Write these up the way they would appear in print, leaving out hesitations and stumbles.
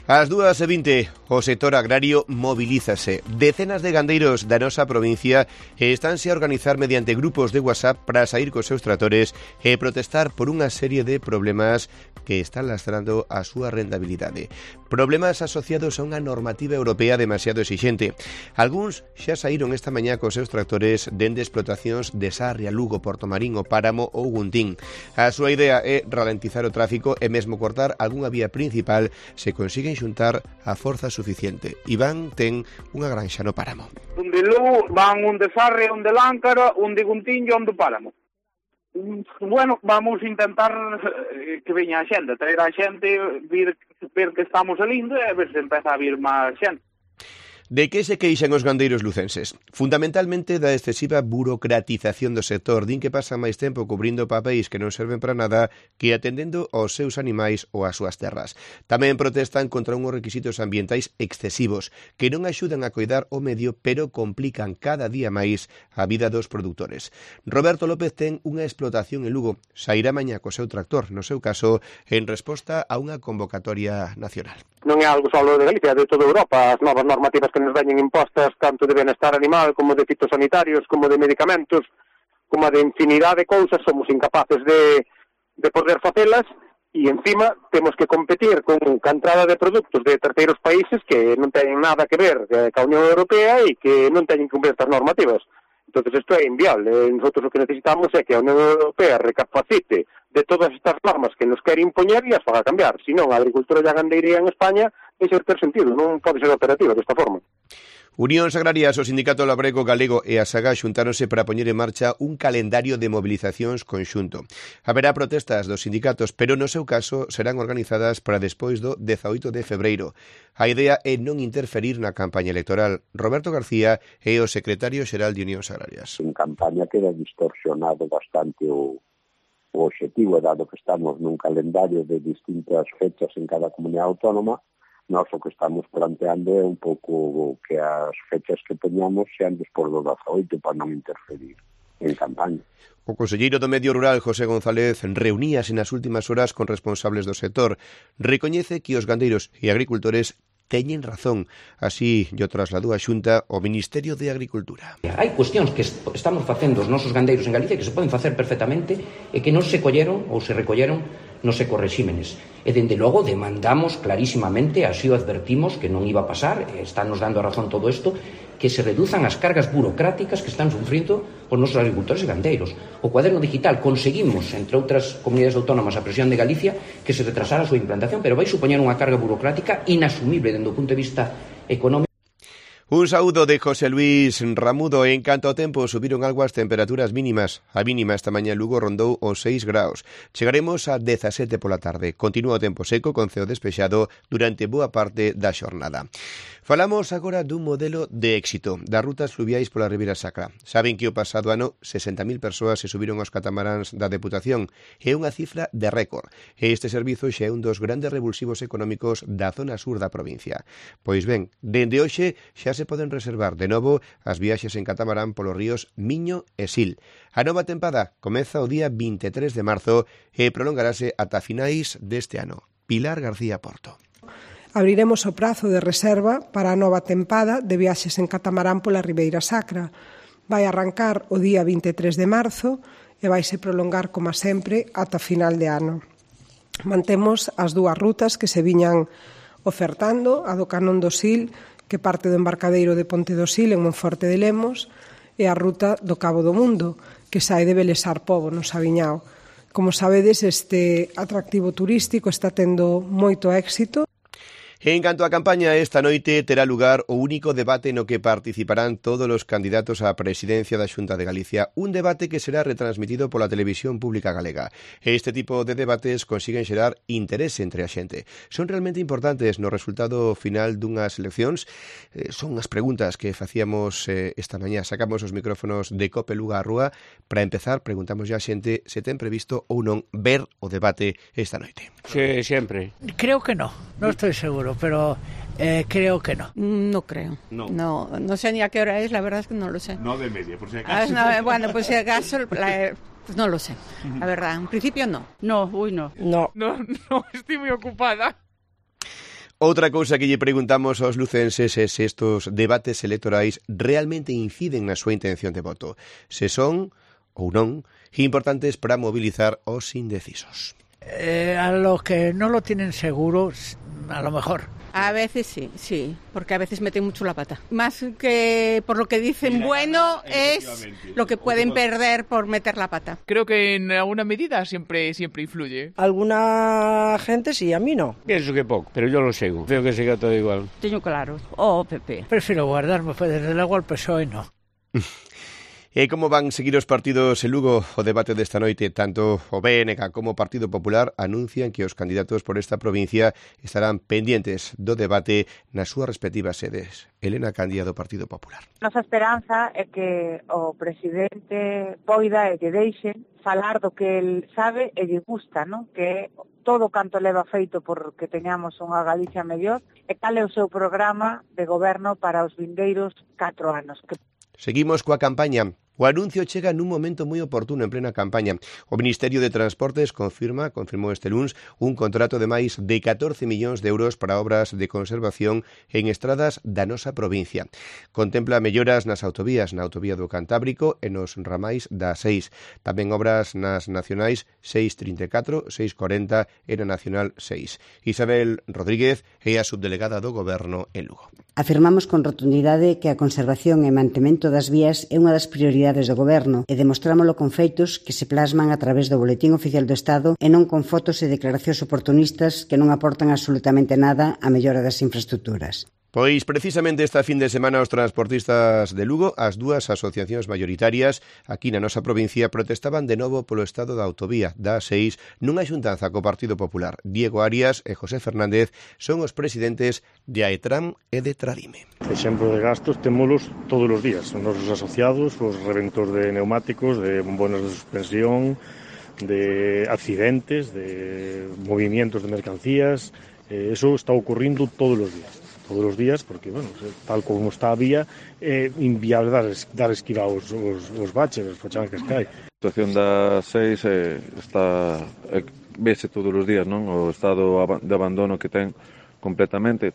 Ás 2:20, o sector agrario mobilízase. Decenas de gandeiros da nosa provincia estánse a organizar mediante grupos de WhatsApp para sair cos seus tractores e protestar por unha serie de problemas que están lastrando a súa rentabilidade. Problemas asociados a unha normativa europea demasiado exixente. Algúns xa saíron esta mañá cos seus tractores dende explotacións de Sarria, Lugo, Portomarín, O Páramo ou Guntín. A súa idea é ralentizar o tráfico e mesmo cortar algunha vía principal se consiguen xuntar a forza suficiente. Iván ten unha granxa no Páramo. Un de Lugo van un de Sarria, un de Láncara, un de Guntín e un de Páramo. Bueno, vamos a intentar que veña a xente, traer a xente, ver que estamos salindo e a ver se empeza a vir máis xente. De que se queixan os gandeiros lucenses? Fundamentalmente da excesiva burocratización do sector, din que pasan máis tempo cubrindo papéis que non serven para nada que atendendo aos seus animais ou ás súas terras. Tamén protestan contra unhos requisitos ambientais excesivos que non axudan a coidar o medio, pero complican cada día máis a vida dos produtores. Roberto López ten unha explotación en Lugo, sairá mañá co seu tractor, no seu caso, en resposta a unha convocatoria nacional. Non é algo só de Galicia, de toda Europa. As novas normativas que nos veñen impostas, tanto de benestar animal, como de fitosanitarios, como de medicamentos, como de infinidade de cousas, somos incapaces de poder facelas, e encima temos que competir con entrada de produtos de terceiros países que non teñen nada que ver ca Unión Europea e que non teñen que cumprir estas normativas. Entón, isto é inviable. Nosotros o que necesitamos é que a Unión Europea recapacite de todas estas normas que nos quere impoñer e as faga cambiar. Se non, a agricultura e a gandeiría en España deixa de ter sentido, non pode ser operativa desta forma. Unións Agrarias, o Sindicato Labrego Galego e a SAGA xuntáronse para poñer en marcha un calendario de mobilizacións conxunto. Haberá protestas dos sindicatos, pero no seu caso serán organizadas para despois do 18 de febreiro. A idea é non interferir na campaña electoral. Roberto García é o secretario xeral de Unións Agrarias. En campaña queda distorsionado bastante o obxectivo, dado que estamos nun calendario de distintas fechas en cada comunidade autónoma. Nós o que estamos planteando é un pouco que as fechas que teñamos sean despois do 18 para non interferir en campaña. O conselleiro do Medio Rural, José González, reuníase nas últimas horas con responsables do sector. Recoñece que os gandeiros e agricultores teñen razón, así yo trasladou a Xunta ao Ministerio de Agricultura. Hai cuestións que estamos facendo os nosos gandeiros en Galicia que se poden facer perfectamente e que non se colleron ou se recolleron nos ecorrexímenes. E, dende logo, demandamos clarísimamente, así o advertimos, que non iba a pasar, están nos dando a razón todo isto, que se reduzan as cargas burocráticas que están sufrindo os nosos agricultores e gandeiros. O cuaderno digital conseguimos, entre outras comunidades autónomas, a presión de Galicia, que se retrasara a súa implantación, pero vai supoñer unha carga burocrática inasumible dende o punto de vista económico. Un saúdo de José Luis Ramudo. En canto ao tempo, subiron algo as temperaturas mínimas. A mínima esta mañá en Lugo rondou os 6 graus. Chegaremos a 17 pola tarde. Continúa o tempo seco con ceo despexado durante boa parte da xornada. Falamos agora dun modelo de éxito das rutas fluviais pola Ribeira Sacra. Saben que o pasado ano 60.000 persoas se subiron aos catamaráns da Deputación. É unha cifra de récord. E este servizo xa é un dos grandes revulsivos económicos da zona sur da provincia. Pois ben, dende hoxe xa se poden reservar de novo as viaxes en catamarán polos ríos Miño e Sil. A nova tempada comeza o día 23 de marzo e prolongarase ata finais deste ano. Pilar García Porto. Abriremos o prazo de reserva para a nova tempada de viaxes en catamarán pola Ribeira Sacra. Vai arrancar o día 23 de marzo e vaise prolongar, como sempre, ata final de ano. Mantemos as dúas rutas que se viñan ofertando, a do Canón do Sil, que parte do embarcadeiro de Ponte do Sil en Monforte de Lemos, e a ruta do Cabo do Mundo, que sae de Belesar Pobo, no Sabiñao. Como sabedes, este atractivo turístico está tendo moito éxito. En canto á campaña, esta noite terá lugar o único debate no que participarán todos os candidatos á presidencia da Xunta de Galicia, un debate que será retransmitido pola televisión pública galega. Este tipo de debates consiguen xerar interese entre a xente. Son realmente importantes no resultado final dunhas eleccións. Son as preguntas que facíamos esta mañá. Sacamos os micrófonos de Cope Luga á rúa. Para empezar, preguntamos a xente se ten previsto ou non ver o debate esta noite. Sí, sempre. Creo que no estoy seguro, pero creo que no. No creo. No sé ni a qué hora es, la verdad es que no lo sé. 9:30, por si acaso. Bueno, pues si acaso, pues no lo sé, la verdad. En principio no. No, no. No. No, estoy muy ocupada. Outra cousa que lle preguntamos aos lucenses é se estos debates electorais realmente inciden na súa intención de voto, se son ou non importantes para movilizar os indecisos. A los que no lo tienen seguro, a lo mejor. A veces sí, porque a veces meten mucho la pata. Más que por lo que dicen bueno es lo que pueden perder por meter la pata. Creo que en alguna medida siempre influye. Alguna gente sí, a mí no. Pienso que poco, pero yo lo sigo. Creo que siga todo igual. Teño claro, o PP. Prefiero guardarme, pues desde luego el PSOE no. E como van seguir os partidos en Lugo? O debate desta noite, tanto o BNG como o Partido Popular anuncian que os candidatos por esta provincia estarán pendientes do debate nas súas respectivas sedes. Elena Candia, do Partido Popular. Nosa esperanza é que o presidente poida e lle deixen falar do que el sabe e lle gusta, non? Que todo canto leva feito porque teñamos unha Galicia mellor e cal é o seu programa de goberno para os vindeiros 4 anos. Seguimos coa campaña. O anuncio chega nun momento moi oportuno en plena campaña. O Ministerio de Transportes confirmou este luns un contrato de máis de 14 millóns de euros para obras de conservación en estradas da nosa provincia. Contempla melloras nas autovías, na autovía do Cantábrico e nos ramais da 6. Tamén obras nas nacionais 634, 640 e na nacional 6. Isabel Rodríguez é a subdelegada do Goberno en Lugo. Afirmamos con rotundidade que a conservación e mantemento das vías é unha das prioridades do Goberno e demostrámolo con feitos que se plasman a través do Boletín Oficial do Estado e non con fotos e declaracións oportunistas que non aportan absolutamente nada á mellora das infraestructuras. Pois precisamente esta fin de semana os transportistas de Lugo, as dúas asociacións maioritarias aquí na nosa provincia protestaban de novo polo estado da autovía da A6 nunha xuntanza co Partido Popular. Diego Arias e José Fernández son os presidentes de AETRAM e de Tradime. Exemplo de gastos témolos todos os días. Os nosos asociados, os reventos de neumáticos, de bombonas de suspensión, de accidentes, de movimientos de mercancías. Eso está ocurrindo todos os días, porque, bueno, tal como está a vía, é inviable dar esquiva aos baches, as fachancas que hai. A situación da 6 vese todos os días, non? O estado de abandono que ten completamente.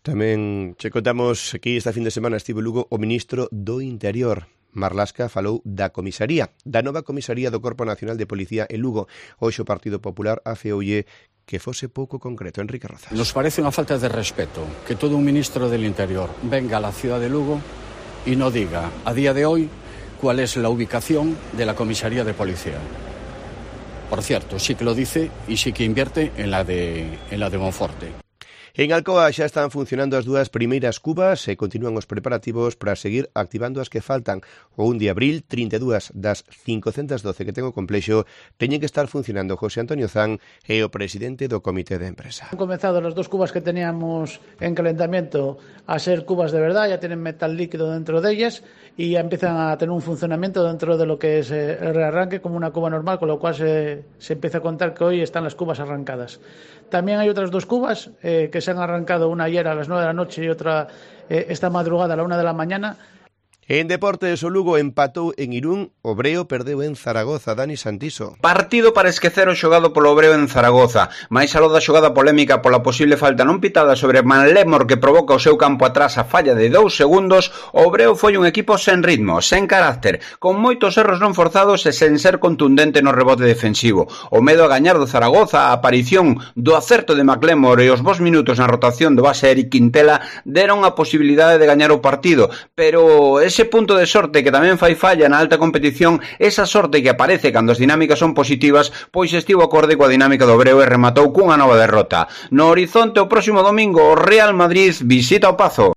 Tamén che contamos que esta fin de semana estivo Lugo o ministro do Interior. Marlasca falou da comisaría, da nova comisaría do Corpo Nacional de Policía en Lugo. Hoxe o Partido Popular afeoulle que fose pouco concreto. Enrique Rozas. Nos parece unha falta de respeto que todo un ministro del Interior venga a la ciudad de Lugo y no diga a día de hoy cuál es la ubicación de la comisaría de policía. Por cierto, sí que lo dice y sí que invierte en la de Monforte. En Alcoa xa están funcionando as dúas primeiras cubas e continúan os preparativos para seguir activando as que faltan. O 1 de abril, 32 das 512 que ten o complexo teñen que estar funcionando. José Antonio Zan é o presidente do comité de empresa. Han comenzado las dos cubas que teníamos en calentamiento a ser cubas de verdad, ya tienen metal líquido dentro de ellas y ya empiezan a tener un funcionamiento dentro de lo que es el rearranque como una cuba normal, con lo cual se empieza a contar que hoy están las cubas arrancadas. También hay otras dos cubas que se han arrancado, una ayer a las 9 de la noche y otra esta madrugada a la 1 de la mañana. En deportes, o Lugo empatou en Irún, o Breo perdeu en Zaragoza. Dani Santiso. Partido para esquecer o xogado polo Breo en Zaragoza. Mais aló da xogada polémica pola posible falta non pitada sobre Manlémor que provoca o seu campo atrás a falla de 2 segundos, o Breo foi un equipo sen ritmo, sen carácter, con moitos erros non forzados e sen ser contundente no rebote defensivo. O medo a gañar do Zaragoza, a aparición do acerto de Manlémor e os bons minutos na rotación do base Eric Quintela deron a posibilidade de gañar o partido, pero ese punto de sorte que tamén fai falla na alta competición, esa sorte que aparece cando as dinámicas son positivas, pois estivo acorde coa dinámica do Breo e rematou cunha nova derrota. No horizonte o próximo domingo o Real Madrid visita o Pazo.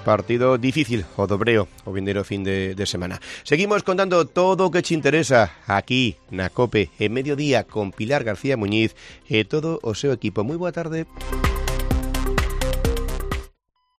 Partido difícil o do Breo o vindeiro fin de semana. Seguimos contando todo o que te interesa aquí na COPE en mediodía con Pilar García Muñiz e todo o seu equipo. Moi boa tarde.